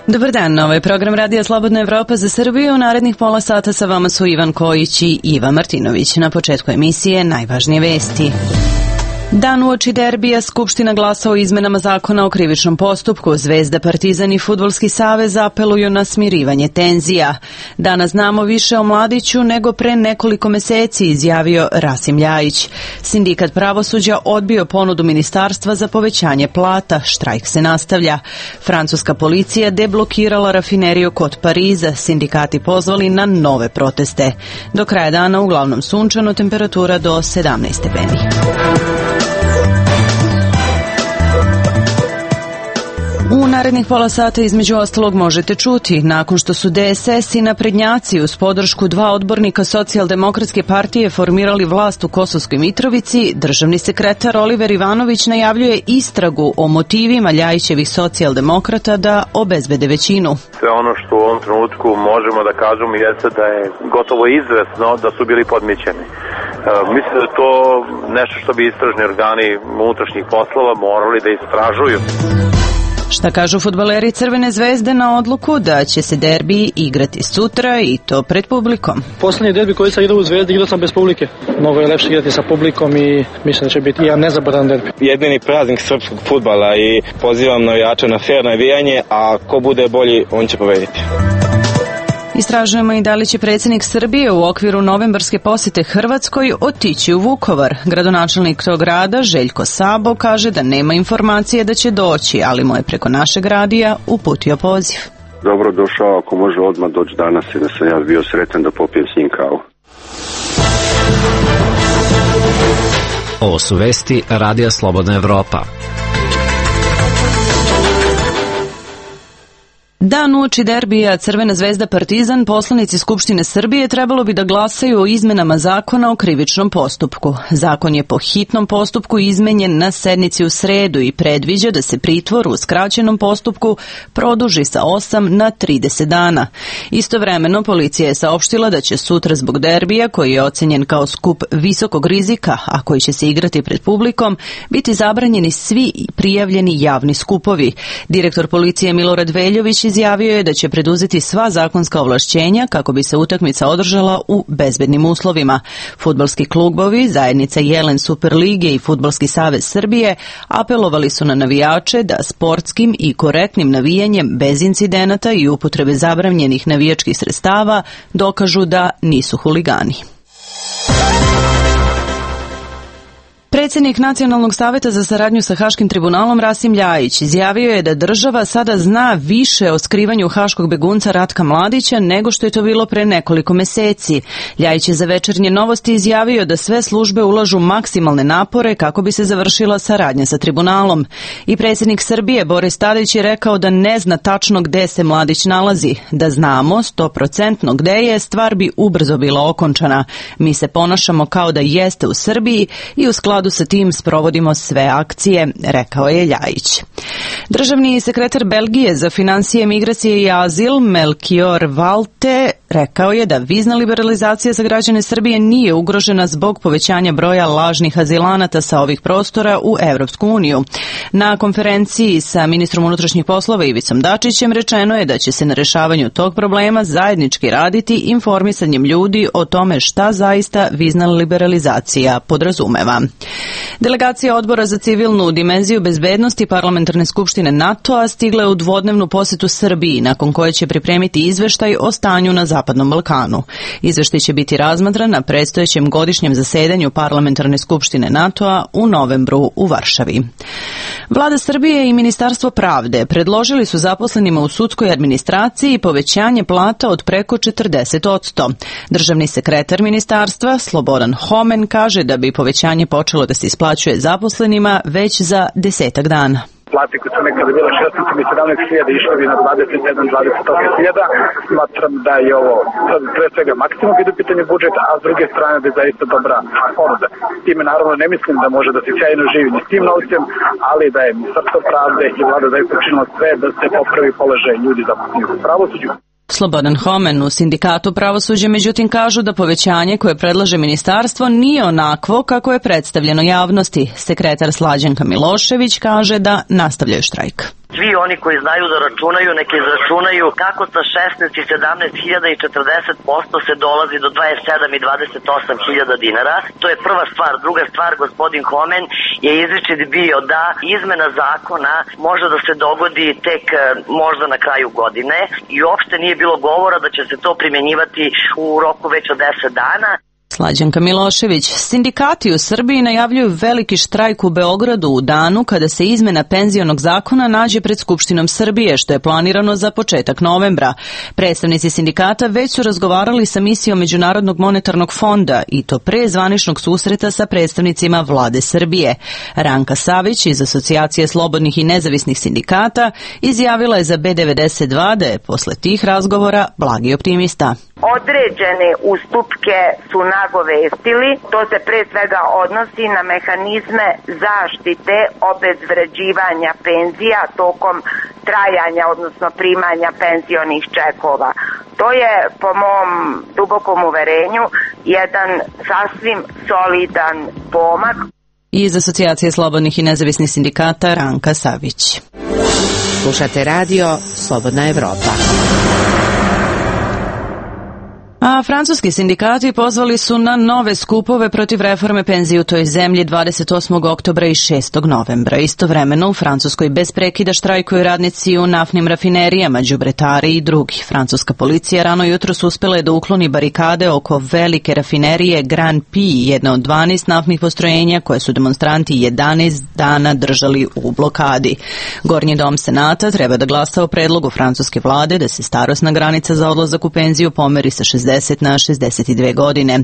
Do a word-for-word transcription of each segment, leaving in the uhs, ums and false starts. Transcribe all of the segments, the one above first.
Dobar dan, ovo je program Radija Slobodna Evropa za Srbiju. U narednih pola sata sa vama su Ivan Kojić i Iva Martinović. Na početku emisije najvažnije vesti. Dan uoči derbija Skupština glasa o izmenama zakona o krivičnom postupku. Zvezda, Partizan i Fudbalski savez apeluju na smirivanje tenzija. Danas znamo više o Mladiću nego pre nekoliko meseci, izjavio Rasim Ljajić. Sindikat pravosuđa odbio ponudu ministarstva za povećanje plata. Štrajk se nastavlja. Francuska policija deblokirala rafineriju kod Pariza. Sindikati pozvali na nove proteste. Do kraja dana uglavnom sunčano, temperatura do sedamnaest stepeni. U narednih pola sata između ostalog možete čuti, nakon što su D S S i naprednjaci uz podršku dva odbornika Socijaldemokratske partije formirali vlast u Kosovskoj Mitrovici, državni sekretar Oliver Ivanović najavljuje istragu o motivima Ljajićevih socijaldemokrata da obezbede većinu. Sve ono što u ovom trenutku možemo da kažemo jeste da je gotovo izvesno da su bili podmićeni. E, mislim da je to nešto što bi istražni organi unutrašnjih poslova morali da istražuju. Šta kažu fudbaleri Crvene zvezde na odluku da će se derbi igrati sutra i to pred publikom? Poslednji derbi koji sam igrao u Zvezdi igrao sam bez publike. Mnogo je lepše igrati sa publikom i mislim da će biti jedan nezaboravan derbi. Jedini praznik srpskog fudbala i pozivam navijače na fer navijanje, a ko bude bolji, on će pobediti. Istražujemo i da li će predsjednik Srbije u okviru novembarske posete Hrvatskoj otići u Vukovar. Gradonačelnik tog grada, Željko Sabo, kaže da nema informacije da će doći, ali mu je preko našeg radija uputio poziv. Dobro došao, ako može odmah doći danas i da sam ja bio sretan da popijem s njim kavu. Ovo su vesti Radija Slobodna Evropa. Dan uoči derbija Crvena zvezda Partizan, poslanici Skupštine Srbije trebalo bi da glasaju o izmenama zakona o krivičnom postupku. Zakon je po hitnom postupku izmenjen na sednici u sredu i predviđa da se pritvor u skraćenom postupku produži sa osam na trideset dana. Istovremeno, policija je saopštila da će sutra zbog derbija, koji je ocenjen kao skup visokog rizika, a koji će se igrati pred publikom, biti zabranjeni svi prijavljeni javni skupovi. Direktor policije Milorad Veljović izjavio je da će preduzeti sva zakonska ovlašćenja kako bi se utakmica održala u bezbednim uslovima. Fudbalski klubovi, zajednica Jelen Superlige i Fudbalski savez Srbije apelovali su na navijače da sportskim i korektnim navijanjem bez incidenata i upotrebe zabranjenih navijačkih sredstava dokažu da nisu huligani. Predsjednik Nacionalnog saveta za saradnju sa Haškim tribunalom Rasim Ljajić izjavio je da država sada zna više o skrivanju haškog begunca Ratka Mladića nego što je to bilo pre nekoliko meseci. Ljajić je za Večernje novosti izjavio da sve službe ulažu maksimalne napore kako bi se završila saradnja sa tribunalom. I predsjednik Srbije Boris Tadić je rekao da ne zna tačno gde se Mladić nalazi. Da znamo sto procentno gde je, stvar bi ubrzo bila okončana. Mi se ponašamo kao da jeste u Srbiji i u skladu sa tim sprovodimo sve akcije, rekao je Ljajić. Državni sekretar Belgije za finansije, migracije i azil Melchior Walte rekao je da vizna liberalizacija za građane Srbije nije ugrožena zbog povećanja broja lažnih azilanata sa ovih prostora u Evropsku uniju. Na konferenciji sa ministrom unutrašnjih poslova Ivicom Dačićem rečeno je da će se na rešavanju tog problema zajednički raditi informisanjem ljudi o tome šta zaista vizna liberalizacija podrazumeva. Delegacija Odbora za civilnu dimenziju bezbednosti Parlamentarne skupštine NATO-a stigla je u dvodnevnu posetu Srbiji, nakon koje će pripremiti izveštaj o stanju na Zapadnom Balkanu. Izveštaj će biti razmatran na predstojećem godišnjem zasedanju Parlamentarne skupštine NATO-a u novembru u Varšavi. Vlada Srbije i Ministarstvo pravde predložili su zaposlenima u sudskoj administraciji povećanje plata od preko četrdeset posto. Državni sekretar ministarstva Slobodan Homen kaže da bi povećanje počelo da se isplaćuje zaposlenima već za desetak dana. Plate koje su nekada bile šesnaest i sedamnaest hiljada išle bi na dvadeset sedam do dvadeset osam hiljada. Smatram da je ovo pre svega maksimum kada je u pitanju budžeta, a s druge strane da je zaista dobra ponuda. Time naravno ne mislim da može da se sjajno živi ni s tim novcem, ali da je Ministarstvo pravde i vlada zaista učinila sve da se popravi položaj ljudi zaposlenih u pravosuđu. Slobodan Homen u Sindikatu pravosuđa međutim kažu da povećanje koje predlaže ministarstvo nije onakvo kako je predstavljeno javnosti. Sekretar Slađanka Milošević kaže da nastavljaju štrajk. Svi oni koji znaju da računaju, neki izračunaju kako sa šesnaest i sedamnaest hiljada i četrdeset posto se dolazi do dvadeset sedam i dvadeset osam hiljada dinara. To je prva stvar. Druga stvar, gospodin Homen je izričit bio da izmena zakona može da se dogodi tek možda na kraju godine i uopšte nije bilo govora da će se to primjenjivati u roku već od deset dana. Slađanka Milošević. Sindikati u Srbiji najavljuju veliki štrajk u Beogradu u danu kada se izmena penzionog zakona nađe pred Skupštinom Srbije, što je planirano za početak novembra. Predstavnici sindikata već su razgovarali sa misijom Međunarodnog monetarnog fonda i to pre zvaničnog susreta sa predstavnicima vlade Srbije. Ranka Savić iz Asocijacije slobodnih i nezavisnih sindikata izjavila je za B devedeset dva da je posle tih razgovora blagi optimista. Određene ustupke su nagovestili, to se pre svega odnosi na mehanizme zaštite obezvređivanja penzija tokom trajanja, odnosno primanja penzionih čekova. To je, po mom dubokom uverenju, jedan sasvim solidan pomak. Iz Asocijacije slobodnih i nezavisnih sindikata Ranka Savić. Slušate radio Slobodna Evropa. A francuski sindikati pozvali su na nove skupove protiv reforme penzije u toj zemlji dvadeset osmog oktobra i šestog novembra. Istovremeno u Francuskoj bez prekida štrajkuju radnici u naftnim rafinerijama, đubretari i drugi. Francuska policija rano jutros uspela je da ukloni barikade oko velike rafinerije Grand Prix, jedna od dvanaest naftnih postrojenja koje su demonstranti jedanaest dana držali u blokadi. Gornji dom Senata treba da glasa o predlogu francuske vlade da se starosna granica za odlazak u penziju pomeri sa šezdeset na šezdeset dve godine.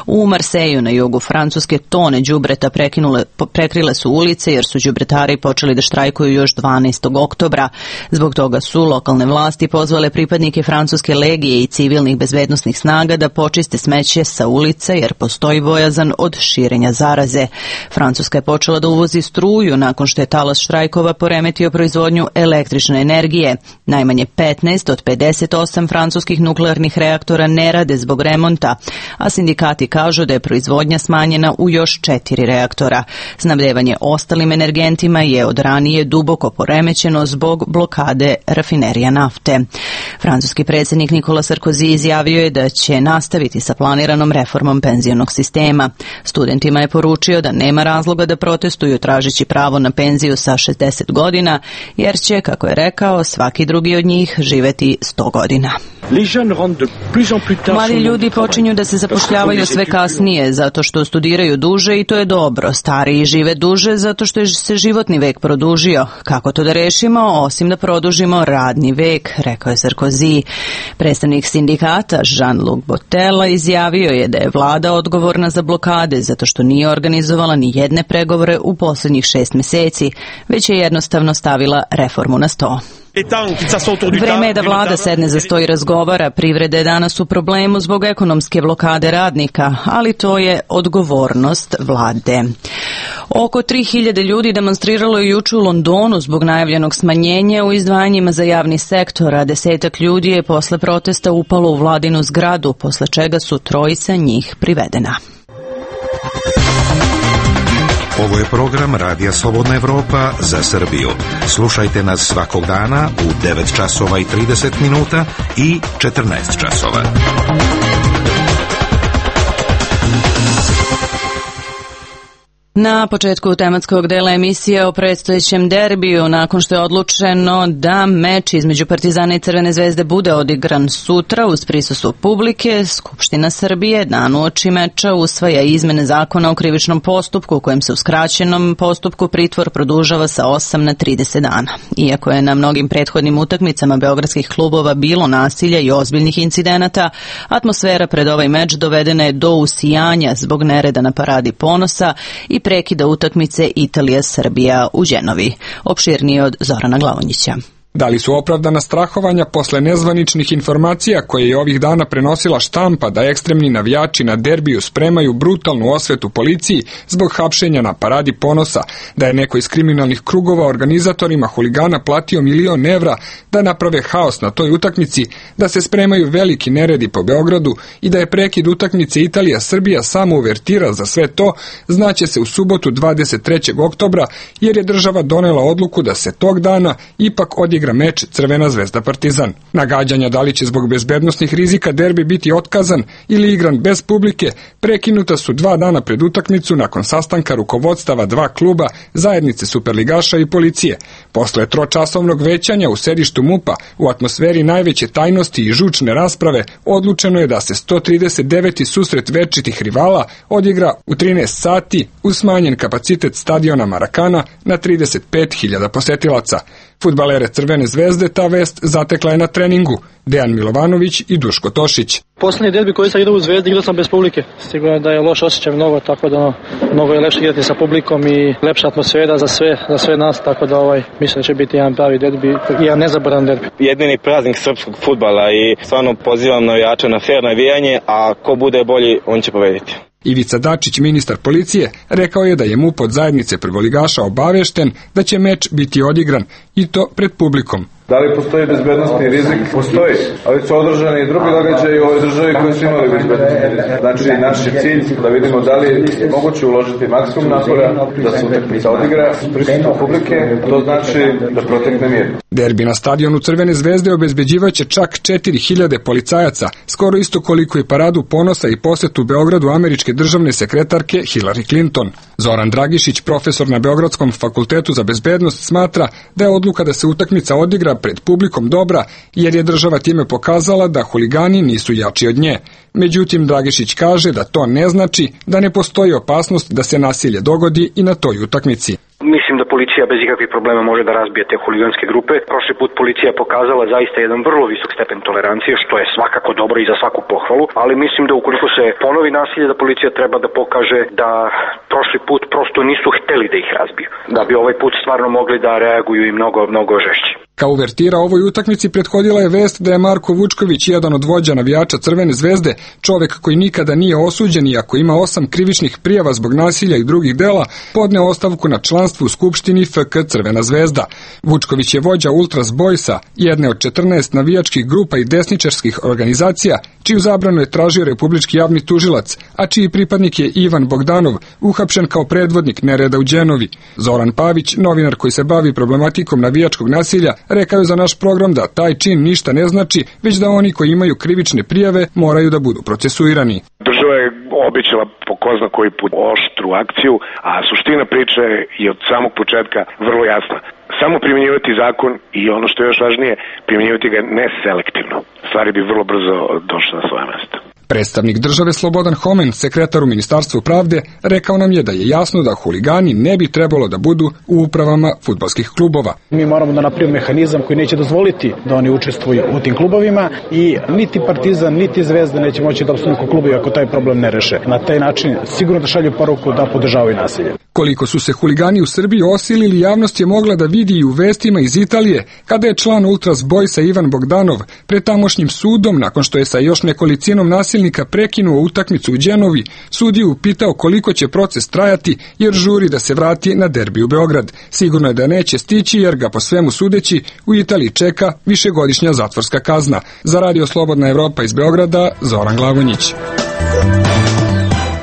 U Marseju na jugu Francuske tone đubreta prekinule, prekrile su ulice jer su đubretari počeli da štrajkuju još dvanaestog oktobra. Zbog toga su lokalne vlasti pozvale pripadnike francuske legije i civilnih bezbednosnih snaga da počiste smeće sa ulice jer postoji bojazan od širenja zaraze. Francuska je počela da uvozi struju nakon što je talas štrajkova poremetio proizvodnju električne energije. Najmanje petnaest od pedeset osam francuskih nuklearnih reaktora ne rade zbog remonta, a sindikati kažu da je proizvodnja smanjena u još četiri reaktora. Snabdevanje ostalim energentima je od ranije duboko poremećeno zbog blokade rafinerija nafte. Francuski predsjednik Nikola Sarkozy izjavio je da će nastaviti sa planiranom reformom penzionog sistema. Studentima je poručio da nema razloga da protestuju tražeći pravo na penziju sa šezdeset godina, jer će, kako je rekao, svaki drugi od njih živeti sto godina. Mladi ljudi počinju da se zapošljavaju sve kasnije zato što studiraju duže i to je dobro. Stariji žive duže zato što je se životni vek produžio. Kako to da rešimo, osim da produžimo radni vek, rekao je Sarkozy. Predstavnik sindikata Jean-Luc Bottella izjavio je da je vlada odgovorna za blokade zato što nije organizovala ni jedne pregovore u posljednjih šest meseci, već je jednostavno stavila reformu na sto. Vreme je da vlada sedne za sto i razgovara. Privreda je danas u problemu zbog ekonomske blokade radnika, ali to je odgovornost vlade. Oko tri hiljade ljudi demonstriralo je juče u Londonu zbog najavljenog smanjenja u izdvajanjima za javni sektor, a desetak ljudi je posle protesta upalo u vladinu zgradu, posle čega su trojica njih privedena. Ovo je program Radija Slobodna Evropa za Srbiju. Slušajte nas svakog dana u devet časova i trideset minuta i četrnaest časova. Na početku tematskog dela emisije o predstojećem derbiju, nakon što je odlučeno da meč između Partizana i Crvene zvezde bude odigran sutra uz prisustvo publike, Skupština Srbije dan uoči meča usvaja izmene zakona o krivičnom postupku, kojem se u skraćenom postupku pritvor produžava sa osam na trideset dana. Iako je na mnogim prethodnim utakmicama beogradskih klubova bilo nasilja i ozbiljnih incidenata, atmosfera pred ovaj meč dovedena je do usijanja zbog nereda na Paradi ponosa i prekida utakmice Italija-Srbija u Đenovi. Opširnije od Zorana Glavonjića. Da li su opravdana strahovanja posle nezvaničnih informacija koje je ovih dana prenosila štampa da ekstremni navijači na derbiju spremaju brutalnu osvetu policiji zbog hapšenja na Paradi ponosa, da je neko iz kriminalnih krugova organizatorima huligana platio milion evra da naprave haos na toj utakmici, da se spremaju veliki neredi po Beogradu i da je prekid utakmice Italija-Srbija samo uvertira za sve to, znaće se u subotu dvadeset trećeg oktobra, jer je država donela odluku da se tog dana ipak odigra meč Crvena zvezda Partizan. Nagađanja da li će zbog bezbednosnih rizika derbi biti otkazan ili igran bez publike prekinuta su dva dana pred utakmicu nakon sastanka rukovodstava dva kluba, zajednice superligaša i policije. Posle tročasovnog većanja u sedištu MUP-a u atmosferi najveće tajnosti i žučne rasprave odlučeno je da se sto trideset deveti susret večitih rivala odigra u trinaest sati uz smanjen kapacitet stadiona Marakana na trideset pet hiljada posetilaca. Fudbalere Crvene zvezde ta vest zatekla je na treningu. Dejan Milovanović i Duško Tošić. Poslednji derbi koji sam igrao u Zvezdi, igrao sam bez publike. Sigurno da je loš osjećaj mnogo, tako da mnogo je lepše igrati sa publikom i lepša atmosfera za sve, za sve nas, tako da ovaj, mislim da će biti jedan pravi derbi i jedan nezaboravan derbi. Jedini praznik srpskog fudbala i stvarno pozivam navijače na fer navijanje, a ko bude bolji, on će pobediti. Ivica Dačić, ministar policije, rekao je da je MUP od zajednice prvoligaša obavešten da će meč biti odigran i to pred publikom. Da li postoji bezbednosni rizik? Postoji, ali su održani i drugi događaji u ovoj državi koji su imali bezbednosni rizik. Znači, naš je cilj da vidimo da li je moguće uložiti maksimum napora da se utakmica odigra s prisustvom publike, to znači da protekne mir. Derbi na stadionu Crvene zvezde obezbeđivaće čak četiri hiljade policajaca, skoro isto koliko i paradu ponosa i posetu Beogradu američke državne sekretarke Hillary Clinton. Zoran Dragišić, profesor na Beogradskom fakultetu za bezbednost, smatra da je odluka da se utakmica odigra pred publikom dobra, jer je država time pokazala da huligani nisu jači od nje. Međutim, Dragišić kaže da to ne znači da ne postoji opasnost da se nasilje dogodi i na toj utakmici. Mislim da policija bez ikakvih problema može da razbije te huliganske grupe. Prošli put policija je pokazala zaista jedan vrlo visok stepen tolerancije, što je svakako dobro i za svaku pohvalu, ali mislim da ukoliko se ponovi nasilje, da policija treba da pokaže da prošli put prosto nisu hteli da ih razbiju. Da bi ovaj put stvarno mogli da reaguju i mnogo, mnogo žešće. Kao uvertira ovoj utakmici prethodila je vest da je Marko Vučković, jedan od vođa navijača Crvene zvezde, čovek koji nikada nije osuđen i ako ima osam krivičnih prijava zbog nasilja i drugih dela, podneo ostavku na članstvu u Skupštini F K Crvena zvezda. Vučković je vođa Ultras Boysa, jedne od četrnaest navijačkih grupa i desničarskih organizacija, čiju zabranu je tražio republički javni tužilac, a čiji pripadnik je Ivan Bogdanov, uhapšen kao predvodnik nereda u Đenovi. Zoran Pavić, novinar koji se bavi problematikom navijačkog nasilja, rekao je za naš program da taj čin ništa ne znači, već da oni koji imaju krivične prijave moraju da budu procesuirani. Država je obećala po ko zna koji put oštru akciju, a suština priče je od samog početka vrlo jasna. Samo primjenjivati zakon i ono što je još važnije, primjenjivati ga ne selektivno. Stvari bi vrlo brzo došle na svoje mesto. Predstavnik države Slobodan Homen, sekretar u Ministarstvu pravde, rekao nam je da je jasno da huligani ne bi trebalo da budu u upravama fudbalskih klubova. Mi moramo da napravimo mehanizam koji neće dozvoliti da oni učestvuju u tim klubovima i niti Partizan, niti Zvezda neće moći da opstanu kao klubovi ako taj problem ne reše. Na taj način sigurno da šalju poruku da podržavaju nasilje. Koliko su se huligani u Srbiji osilili, javnost je mogla da vidi i u vestima iz Italije, kada je član Ultras Boysa Ivan Bogdanov pred tamošnjim sudom, nakon što je sa još nekolicinom nasilnika prekinuo utakmicu u Đenovi, sudiju upitao koliko će proces trajati, jer žuri da se vrati na derbi u Beograd. Sigurno je da neće stići, jer ga po svemu sudeći u Italiji čeka višegodišnja zatvorska kazna. Za Radio Slobodna Evropa iz Beograda, Zoran Glagonić.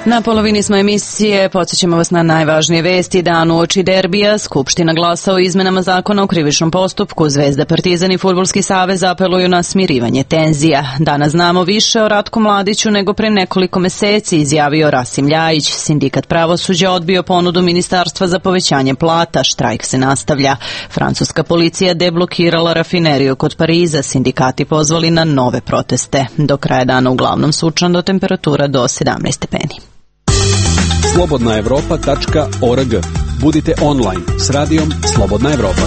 Na polovini smo emisije, podsjećamo vas na najvažnije vesti. Dan uoči derbija, Skupština glasa o izmenama zakona o krivičnom postupku. Zvezda, Partizan i Fudbalski savez apeluju na smirivanje tenzija. Danas znamo više o Ratku Mladiću nego pre nekoliko meseci, izjavio Rasim Ljajić. Sindikat pravosuđa odbio ponudu ministarstva za povećanje plata. Štrajk se nastavlja. Francuska policija deblokirala rafineriju kod Pariza. Sindikati pozvali na nove proteste. Do kraja dana uglavnom sunčano, temperatura do sedamnaest stepeni. slobodna evropa tačka org. Budite online s radijom Slobodna Evropa.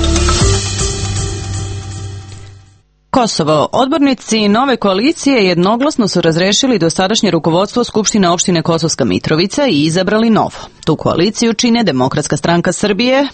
Kosovo. Odbornici nove koalicije jednoglasno su razrešili dosadašnje rukovodstvo Skupštine opštine Kosovska Mitrovica i izabrali novo. Tu koaliciju čine Demokratska stranka Srbije,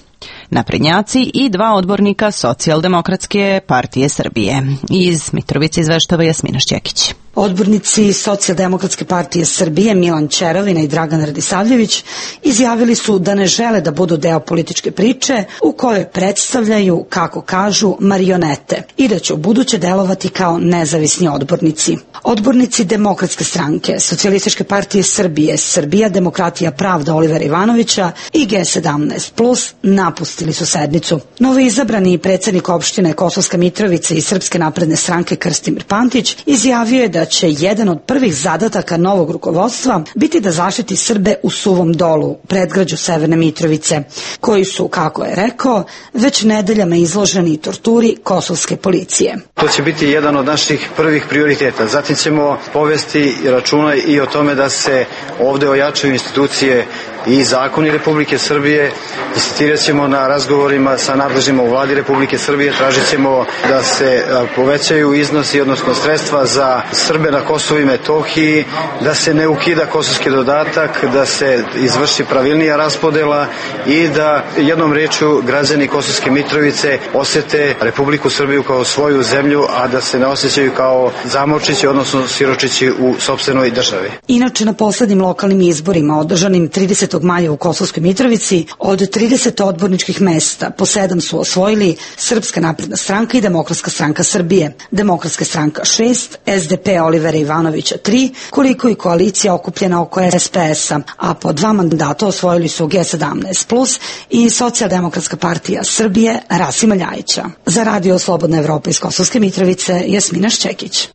naprednjaci i dva odbornika Socijaldemokratske partije Srbije. Iz Mitrovice izveštava Jasmina Šćekić. Odbornici Socijaldemokratske partije Srbije Milan Čerovina i Dragan Radisavljević izjavili su da ne žele da budu deo političke priče u kojoj predstavljaju, kako kažu, marionete i da će ubuduće delovati kao nezavisni odbornici. Odbornici Demokratske stranke, Socijalističke partije Srbije, Srbija, Demokratija, Pravda Olivera Ivanovića i G sedamnaest plus napustili su sednicu. Novoizabrani predsjednik opštine Kosovska Mitrovica i Srpske napredne stranke Krstimir Pantić izjavio je da će jedan od prvih zadataka novog rukovodstva biti da zaštiti Srbe u Suvom Dolu, predgrađu Severne Mitrovice, koji su, kako je rekao, već nedeljama izloženi torturi kosovske policije. To će biti jedan od naših prvih prioriteta. Zatim ćemo povesti računa i o tome da se ovde ojačaju institucije i zakoni Republike Srbije. Insistirat ćemo na razgovorima sa nadležnjima u vladi Republike Srbije, tražit ćemo da se povećaju iznosi, odnosno sredstva za Srbe na Kosovu i Metohiji, da se ne ukida kosovski dodatak, da se izvrši pravilnija raspodela i da jednom rečju građani Kosovske Mitrovice osete Republiku Srbiju kao svoju zemlju, a da se ne osjećaju kao zamočići, odnosno siročići u sopstvenoj državi. Inače, na poslednjim lokalnim izborima održanim tridesetog maja u Kosovskoj Mitrovici, od trideset odborničkih mesta po sedam su osvojili Srpska napredna stranka i Demokratska stranka Srbije, Demokratska stranka šest, S D P Olivera Ivanovića tri, koliko i koalicija okupljena oko S P S-a, a po dva mandata osvojili su G sedamnaest plus i Socijaldemokratska partija Srbije Rasima Ljajića. Za Radio Slobodna Evropa iz Kosovske Mitrovice, Jasmina Šćekić.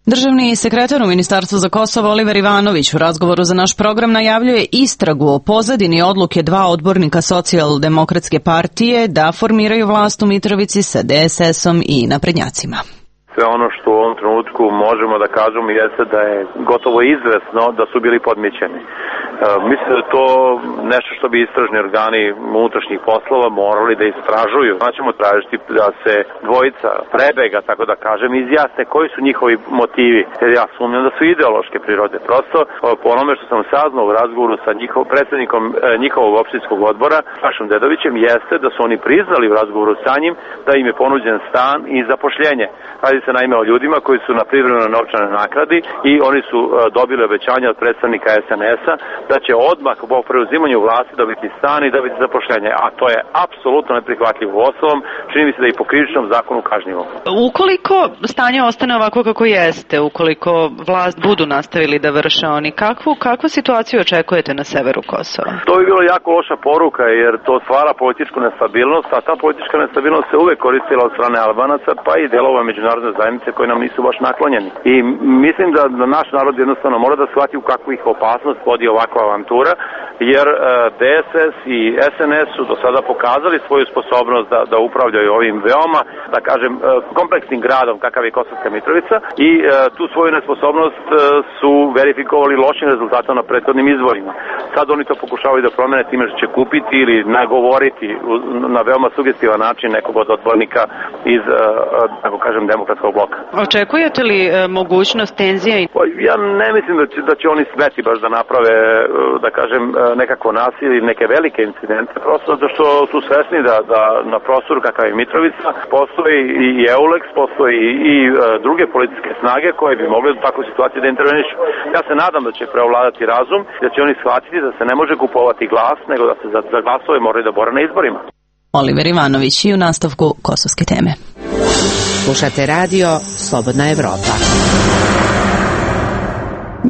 Državni sekretar u Ministarstvu za Kosovo Oliver Ivanović u razgovoru za naš program najavljuje istragu o pozadini odluke dva odbornika Socijaldemokratske partije da formiraju vlast u Mitrovici sa D S S-om i naprednjacima. Sve ono što u ovom trenutku možemo da kažemo jeste da je gotovo izvesno da su bili podmićeni. E, mislim da je to nešto što bi istražni organi unutrašnjih poslova morali da istražuju. Znači ćemo tražiti da se dvojica prebega, tako da kažem, izjasne koji su njihovi motivi. Jer ja sumnjam da su ideološke prirode. Prosto po onome što sam saznao u razgovoru sa njihov, predsjednikom e, njihovog opštinskog odbora, Sašom Dedovićem, jeste da su oni priznali u razgovoru sa njim da im je ponuđen stan i zapošljenje. Radi se naime o ljudima koji su na privremenoj novčanoj nagradi i oni su uh, dobili obećanje od predstavnika S N S-a da će odmah po preuzimanju vlasti dobiti stan i dobiti zapošljenje, a to je apsolutno neprihvatljivo. Uostalom, čini mi se da i po krivičnom zakonu kažnjivo. Ukoliko stanje ostane ovako kako jeste, ukoliko vlast budu nastavili da vrše oni, kakvu, kakvu situaciju očekujete na severu Kosova? To bi bilo jako loša poruka, jer to stvara političku nestabilnost, a ta politička nestabilnost se uvek koristila od strane Albanaca, pa i delova međunarodne zajednice koji nam nisu baš naklonjeni. I mislim da, da naš narod jednostavno mora da shvati u kakvu ih opasnost vodi ovakva avantura, jer e, D S S i S N S su do sada pokazali svoju sposobnost da, da upravljaju ovim veoma, da kažem, e, kompleksnim gradom kakav je Kosovska Mitrovica i e, tu svoju nesposobnost e, su verifikovali lošim rezultatom na prethodnim izborima. Sad oni to pokušavaju da promene time što će kupiti ili nagovoriti u, na veoma sugestivan način nekog od odbornika iz, e, tako kažem, demokratskog bloka. Očekujete li e, mogućnost tenzija? Pa, ja ne mislim da će, da će oni smeti baš da naprave, da kažem, nekakvo nasilje ili neke velike incidente, prosto zato što su svesni da, da na prostoru kakav je Mitrovica postoji i EULEX, postoji i e, druge policijske snage koje bi mogli u takvoj situaciji da intervenišu. Ja se nadam da će preovladati razum, da će oni shvatiti da se ne može kupovati glas, nego da se za, za glasove moraju da bore na izborima. Oliver Ivanović i u nastavku kosovske teme. Slušate radio Slobodna Evropa.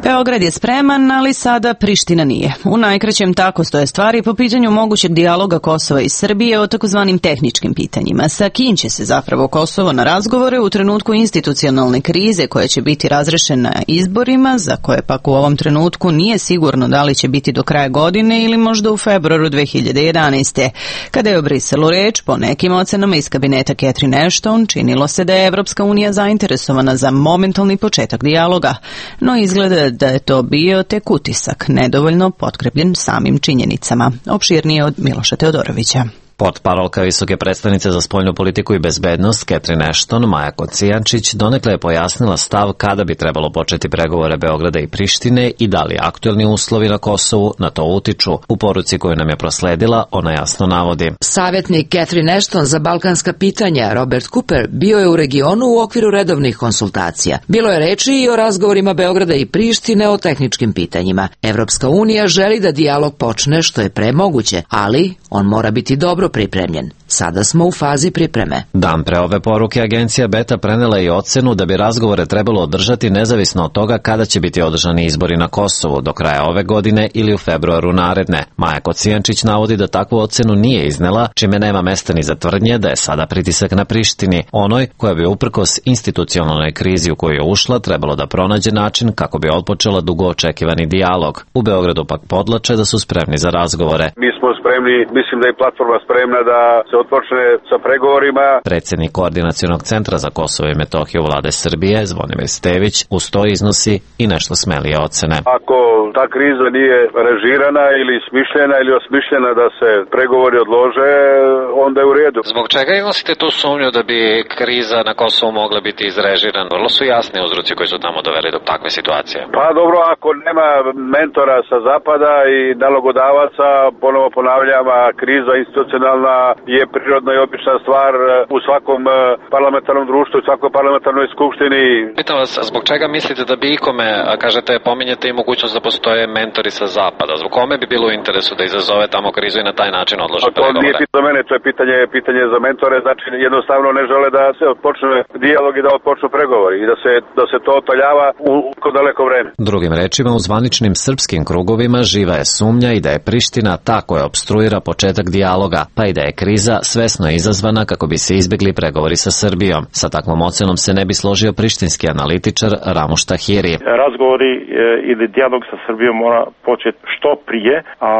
Beograd je spreman, ali sada Priština nije. U najkraćem tako stoje stvari po pitanju mogućeg dijaloga Kosova i Srbije o takozvanim tehničkim pitanjima. Sa kim će se zapravo Kosovo na razgovore u trenutku institucionalne krize koja će biti razrešena izborima, za koje pak u ovom trenutku nije sigurno da li će biti do kraja godine ili možda u februaru dve hiljade jedanaeste. Kada je o Briselu reč, po nekim ocenama iz kabineta Catherine Ashton, činilo se da je Evropska unija zainteresovana za momentalni početak dijaloga, no izgleda da je to bio tek utisak, nedovoljno potkrepljen samim činjenicama. Opširnije od Miloša Teodorovića. Portparolka visoke predstavnice za spoljnu politiku i bezbednost Catherine Ashton, Maja Kocijančić, donekle je pojasnila stav kada bi trebalo početi pregovore Beograda i Prištine i da li aktuelni uslovi na Kosovu na to utiču. U poruci koju nam je prosledila, ona jasno navodi. Savjetnik Catherine Ashton za balkanska pitanja, Robert Cooper, bio je u regionu u okviru redovnih konsultacija. Bilo je reči i o razgovorima Beograda i Prištine o tehničkim pitanjima. Evropska unija želi da dijalog počne što je pre moguće, ali on mora biti dobro pripremljen. Sada smo u fazi pripreme. Dan pre ove poruke agencija Beta prenela i ocenu da bi razgovore trebalo održati nezavisno od toga kada će biti održani izbori na Kosovu, do kraja ove godine ili u februaru naredne. Maja Kocijančić navodi da takvu ocenu nije iznela, čime nema mesta ni za tvrdnje da je sada pritisak na Prištini, onoj koja bi uprkos institucionalnoj krizi u koju je ušla trebalo da pronađe način kako bi otpočela dugo očekivani dijalog. U Beogradu pak podlače da su spremni za razgovore. Mi smo spremni, mislim da je platforma spremna da se otpočne sa pregovorima. Predsjednik Koordinacionog centra za Kosovo i Metohiju Vlade Srbije, Zvonimir Stević, uz to iznosi i nešto smelije ocene. Ako ta kriza nije režirana ili smišljena ili osmišljena da se pregovori odlože, onda je u redu. Zbog čega imate tu sumnju da bi kriza na Kosovu mogla biti izrežirana? Vrlo su jasni uzroci koji su tamo doveli do takve situacije. Pa dobro, ako nema mentora sa zapada i nalogodavaca, ponovo ponavljam, kriza institucionalna je prirodna i obična stvar u svakom parlamentarnom društvu, u svakoj parlamentarnoj skupštini. Pitam vas, zbog čega mislite da bi ikome, kažete, pominjete i mogućnost da postoje mentori sa zapada? Zbog kome bi bilo u interesu da izazove tamo krizu i na taj način odlože pregovore? To nije pitanje za mene, to je pitanje, pitanje za mentore, znači jednostavno ne žele da se odpočne dijalog i da odpočnu pregovori i da se, da se to otaljava u kod daleko vreme. Drugim rečima, u zvaničnim srpskim krugovima živa je sumnja i da je Priština ta koja obstruira početak dijaloga, pa i da je kriza svesno izazvana kako bi se izbjegli pregovori sa Srbijom. Sa takvom ocenom se ne bi složio prištinski analitičar Ramuš Tahiri. Razgovori e, ili dijalog sa Srbijom mora početi što prije, a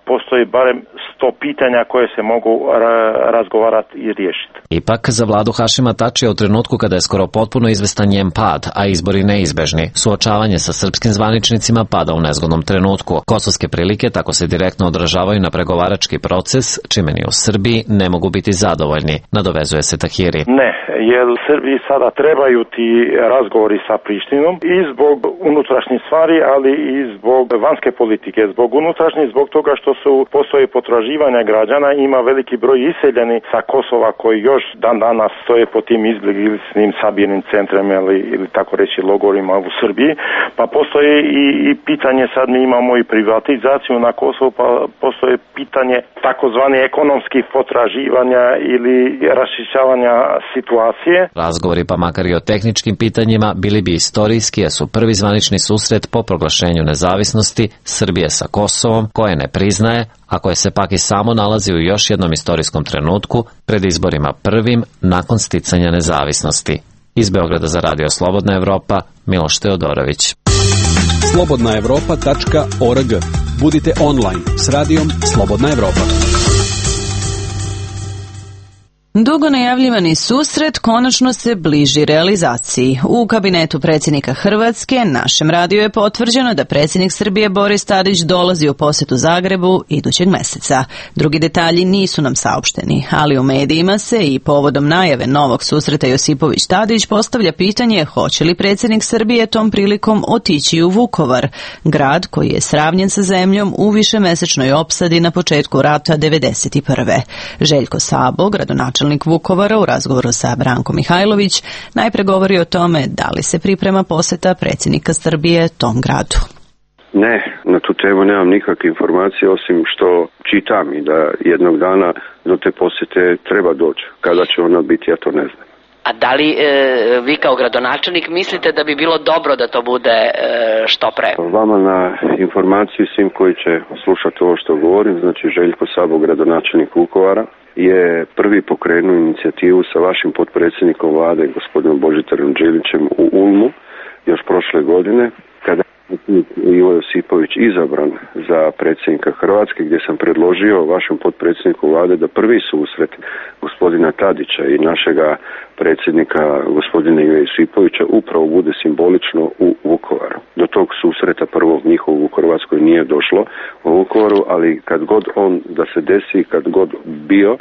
postoji barem sto pitanja koje se mogu ra razgovarati i riješiti. Ipak, za vladu Hašima Tačija u trenutku kada je skoro potpuno izvestan njen pad, a izbori neizbežni, suočavanje sa srpskim zvaničnicima pada u nezgodnom trenutku. Kosovske prilike tako se direktno odražavaju na pregovarački proces, čime ni u Srbiji ne mogu biti zadovoljni, nadovezuje se Tahiri. Ne, jer Srbiji sada trebaju ti razgovori sa Prištinom i zbog unutrašnjih stvari, ali i zbog vanjske politike. Zbog unutrašnjih, zbog toga što su postoje potraživanja građana, ima veliki broj iseljeni sa Kosova koji još dan danas stoje po tim izbjegličnim sabirnim centrima ili, ili tako reći logorima u Srbiji. Pa postoje i, i pitanje, sad mi imamo i privatizaciju na Kosovu, pa postoje pitanje takozvani ekonomskih potraživanja ili raščišćavanja situacije. Razgovori, pa makar i o tehničkim pitanjima, bili bi istorijski, jer su prvi zvanični susret po proglašenju nezavisnosti Srbije sa Kosovom, koje ne priznaje, a koje se pak i samo nalazi u još jednom istorijskom trenutku pred izborima prvim nakon sticanja nezavisnosti. Iz Beograda za Radio Slobodna Evropa, Miloš Teodorović. slobodna evropa tačka org. Budite online s radijom Slobodna Evropa. Dugo najavljivani susret konačno se bliži realizaciji. U kabinetu predsjednika Hrvatske našem radiju je potvrđeno da predsjednik Srbije Boris Tadić dolazi u posjetu Zagrebu idućeg mjeseca. Drugi detalji nisu nam saopšteni, ali u medijima se i povodom najave novog susreta Josipović-Tadić postavlja pitanje hoće li predsjednik Srbije tom prilikom otići u Vukovar, grad koji je sravnjen sa zemljom u višemesečnoj opsadi na početku rata devedeset prve. Željko Sabo, gradonačelnik Vukovara, u razgovoru sa Brankom Mihajlović najpre govori o tome da li se priprema posjeta predsjednika Srbije tom gradu. Ne, na tu temu nemam nikakve informacije osim što čitam i da jednog dana do te posjete treba doći. Kada će ona biti, ja to ne znam. A da li e, vi kao gradonačelnik mislite da bi bilo dobro da to bude e, što pre? Vama na informaciju svim koji će slušati ovo što govorim, znači Željko Sabo, gradonačelnik Vukovara, je prvi pokrenuo inicijativu sa vašim potpredsjednikom vlade, gospodinom Božidarom Đelićem, u Ulmu još prošle godine, kada je predsjednik Ivo Josipović izabran za predsjednika Hrvatske, gdje sam predložio vašem potpredsjedniku vlade da prvi susret gospodina Tadića i našega predsjednika gospodina Ive Josipovića upravo bude simbolično u Vukovaru. Do tog susreta prvog njihovog u Hrvatskoj nije došlo u Vukovaru, ali kad god on da se desi, kad god bio,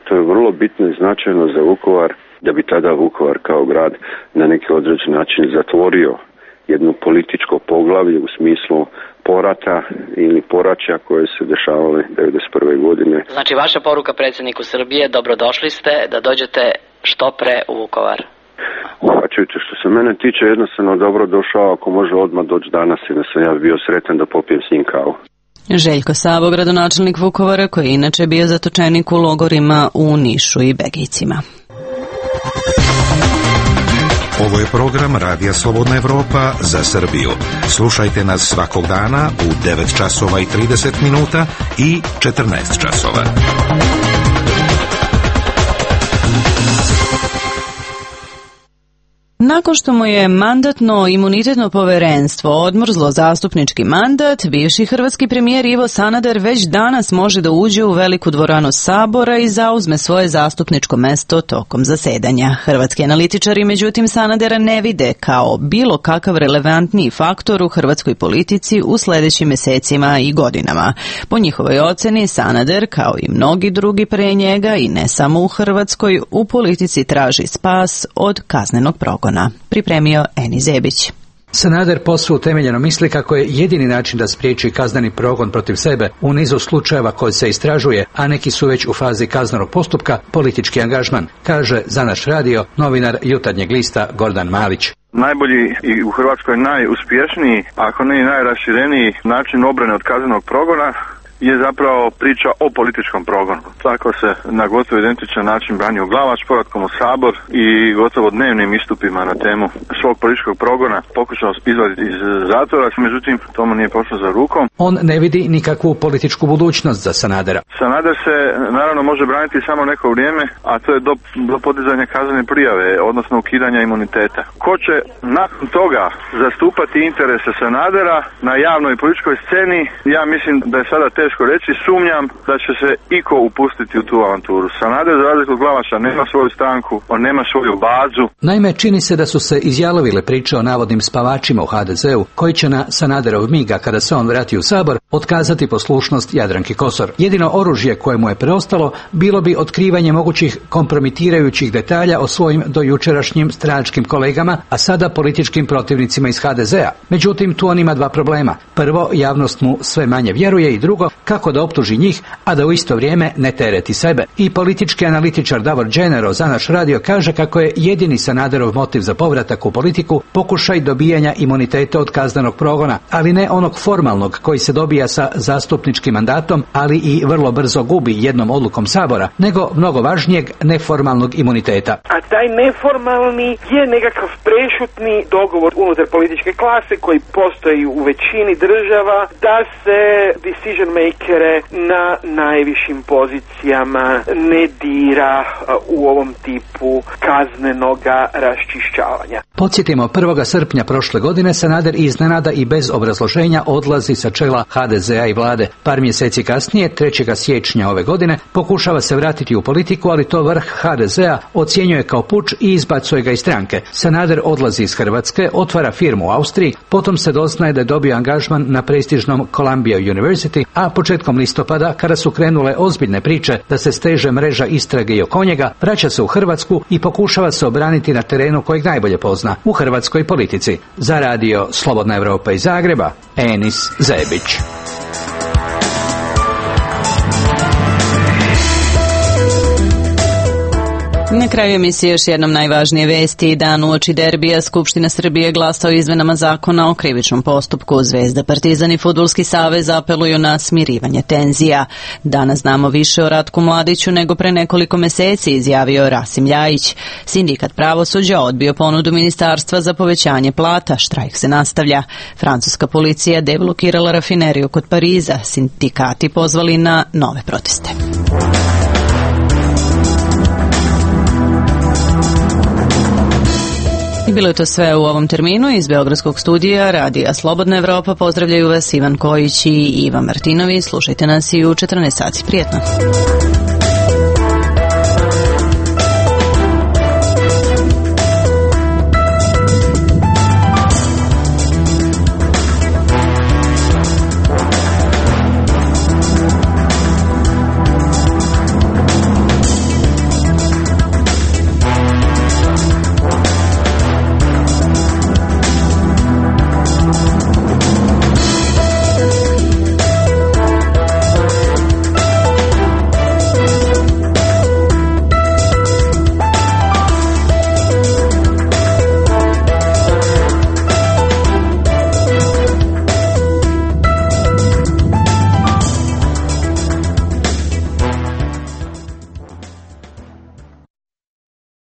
to je vrlo bitno i značajno za Vukovar, da bi tada Vukovar kao grad na neki određen način zatvorio jedno političko poglavlje u smislu porata ili poraća koje se dešavale devedeset prve godine. Znači, vaša poruka predsjedniku Srbije, dobrodošli ste da dođete što pre u Vukovar. Pa čujte, što se mene tiče, jednostavno dobro došao, ako može odmah doći danas i da sam ja bio sretan da popijem s njim kavu. Željko Sabo, gradonačelnik Vukovara, koji je inače bio zatočenik u logorima u Nišu i Begejcima. Ovo je program Radija Slobodna Evropa za Srbiju. Slušajte nas svakog dana u devet časova i trideset minuta i četrnaest časova. Nakon što mu je mandatno-imunitetno povjerenstvo odmrzlo zastupnički mandat, bivši hrvatski premijer Ivo Sanader već danas može da uđe u veliku dvoranu Sabora i zauzme svoje zastupničko mesto tokom zasedanja. Hrvatski analitičari međutim Sanadera ne vide kao bilo kakav relevantniji faktor u hrvatskoj politici u sljedećim mjesecima i godinama. Po njihovoj oceni Sanader, kao i mnogi drugi pre njega i ne samo u Hrvatskoj, u politici traži spas od kaznenog progona. Pripremio Eni Zebić. Sanader posve utemeljeno misli kako je jedini način da spriječi kazneni progon protiv sebe u nizu slučajeva koji se istražuje, a neki su već u fazi kaznenog postupka, politički angažman, kaže za naš radio novinar Jutarnjeg lista Gordan Malić. Najbolji i u Hrvatskoj najuspješniji, ako ne i najrašireniji način obrane od kaznenog progona je zapravo priča o političkom progonu. Tako se na gotovo identičan način branio Glavaš povratkom u Sabor i gotovo dnevnim istupima na temu svog političkog progona pokušao izvaditi iz zatvora, međutim tomu nije pošlo za rukom. On ne vidi nikakvu političku budućnost za Sanadera. Sanader se naravno može braniti samo neko vrijeme, a to je do, do podizanja kaznene prijave, odnosno ukidanja imuniteta. Ko će nakon toga zastupati interese Sanadera na javnoj političkoj sceni, ja mislim da je sada teško reći, sumnjam da će se iko upustiti u tu avanturu. Sanader, za razliku od Glavaša, nema svoju stranku, on nema svoju bazu. Naime, čini se da su se izjalovile priče o navodnim spavačima u ha de zeu, koji će na Sanaderov miga, kada se on vrati u Sabor, otkazati poslušnost Jadranki Kosor. Jedino oružje koje mu je preostalo bilo bi otkrivanje mogućih kompromitirajućih detalja o svojim dojučerašnjim stranačkim kolegama, a sada političkim protivnicima iz ha de zea. Međutim, tu on ima dva problema. Prvo, javnost mu sve manje vjeruje i drugo, kako da optuži njih, a da u isto vrijeme ne tereti sebe. I politički analitičar Davor Dženero za naš radio kaže kako je jedini Sanaderov motiv za povratak u politiku pokušaj dobijanja imuniteta od kaznenog progona, ali ne onog formalnog koji se dobija sa zastupničkim mandatom, ali i vrlo brzo gubi jednom odlukom Sabora, nego mnogo važnijeg neformalnog imuniteta. A taj neformalni je nekakav prešutni dogovor unutar političke klase koji postoji u većini država da se decision makere na najvišim pozicijama ne dira u ovom tipu kaznenoga raščišćavanja. Podsjetimo, prvog srpnja prošle godine Sanader iznenada i bez obrazloženja odlazi sa čela ha de zea i vlade. Par mjeseci kasnije, trećeg siječnja ove godine, pokušava se vratiti u politiku, ali to vrh ha de zea ocjenjuje kao puč i izbacuje ga iz stranke. Sanader odlazi iz Hrvatske, otvara firmu u Austriji, potom se doznaje da je dobio angažman na prestižnom Columbia University, a početkom listopada, kada su krenule ozbiljne priče da se steže mreža istrage i oko njega, vraća se u Hrvatsku i pokušava se obraniti na terenu kojeg najbolje pozna, u hrvatskoj politici. Za radio Slobodna Evropa iz Zagreba, Enis Zebić. Na kraju emisije još jednom najvažnije vesti. Dan uoči derbija Skupština Srbije glasa o izmenama zakona o krivičnom postupku. Zvezda, Partizan i Fudbalski savez apeluju na smirivanje tenzija. Danas znamo više o Ratku Mladiću nego pre nekoliko meseci, izjavio Rasim Ljajić. Sindikat pravosuđa odbio ponudu ministarstva za povećanje plata. Štrajk se nastavlja. Francuska policija deblokirala rafineriju kod Pariza. Sindikati pozvali na nove proteste. I bilo je to sve u ovom terminu. Iz Beogradskog studija Radija Slobodna Evropa pozdravljaju vas Ivan Kojić i Iva Martinović. Slušajte nas i u četrnaest sati. Prijetno.